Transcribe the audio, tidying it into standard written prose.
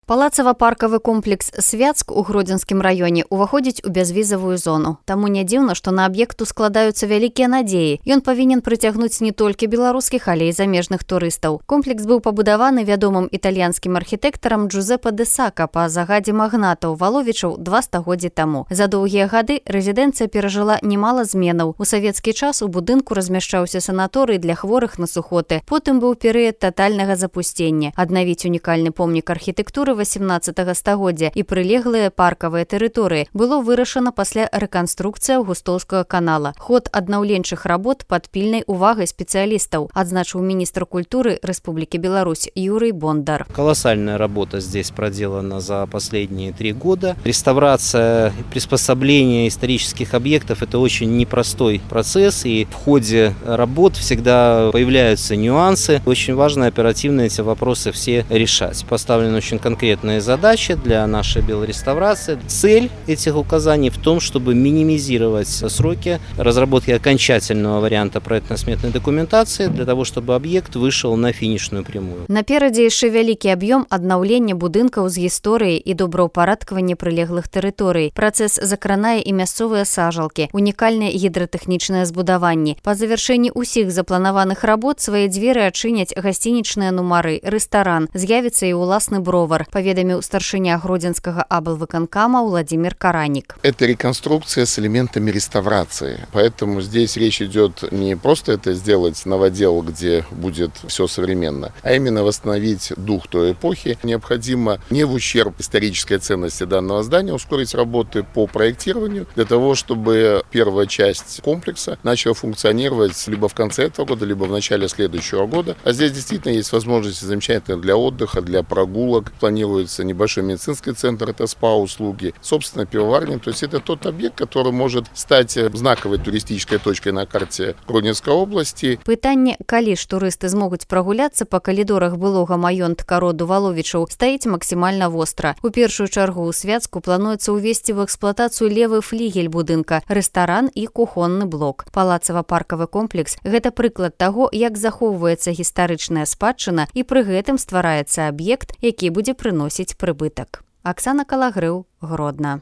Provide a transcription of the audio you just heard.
Палацава-паркавы комплекс «Свяцк» у Гродзенскім раёне уваходзіць у бязвізавую зону. Таму не дзіўна, што на аб'екту складаюцца вялікія надзеі. Ён павінен прыцягнуць не толькі беларускіх, але і замежных турыстаў. Комплекс быў пабудаваны вядомым італьянскім архітэктарам Джузеппе де Сака па загадзе магнатаў Валовічаў 2 стагоддзі таму. За доўгія гады рэзідэнцыя перажыла немала зменаў. У савецкі час у будынку размяшчаўся санаторый для хворых на сухоты. Потым быў перыяд татальнага запусцення. Аднавіць унікальны помнік архітэктуры 18 стагоддзя і прылеглыя паркавыя тэрыторыі было вырашана пасля рэканструкцыі Аўгустоўскага канала. Ход аднаўленчых работ пад пільнай увагай спецыялістаў, адзначыў міністр культуры Республики Беларусь Юрий Бондар. Колоссальная работа здесь проделана за последние 3 года. Реставрация и приспособление исторических объектов – это очень непростой процесс, и в ходе работ всегда появляются нюансы. Очень важно оперативно эти вопросы все решать. Поставлены очень конкретные задачи для нашей белореставрации. Цель этих указаний в том, чтобы минимизировать сроки разработки окончательного варианта проектно-сметной документации для того, чтобы объект вышел на финишную прямую. Наперадзе яшчэ вялікі аб'ём аднаўлення будынкаў з гісторыяй і добраўпарадкавання прылеглых тэрыторый. Працэс закранае і мясцовыя сажалкі, унікальныя гідратэхнічныя збудаванні. Па завяршэнні ўсіх запланаваных работ свае дзверы адчыняць гасцінічныя нумары, рэстаран, з'явіцца і ўласны бровар, паведаміў старшыня Гродзенскага аблвыканкама Владимир Каранік. Это реконструкция с элементами реставрации, поэтому здесь речь идет не просто это сделать новодел, где будет все современно, а именно восстановить дух той эпохи. Необходимо не в ущерб исторической ценности данного здания ускорить работы по проектированию для того, чтобы первая часть комплекса начала функционировать либо в конце этого года, либо в начале следующего года. А здесь действительно есть возможности замечательные для отдыха, для прогулок. Планируется небольшой медицинский центр, это СПА-услуги, собственно, пивоварня. То есть это тот объект, который может стать знаковой туристической точкой на карте Гродненской области. Пытанне, калі ж турысты змогуць прагуляцца па калідорах былога маёнтка роду Валовічаў, стаіць максімальна востра. У першую чаргу ў Свяцку плануецца ўвесці ў эксплуатацыю левы флігель будынка, рэстаран і кухонны блок. Палацава-паркавы комплекс – гэта прыклад таго, як захоўваецца гістарычная спадчына і пры гэтым ствараецца аб'ект, які будзе прыносіць прыбытак. Аксана Калагрыў, Гродна.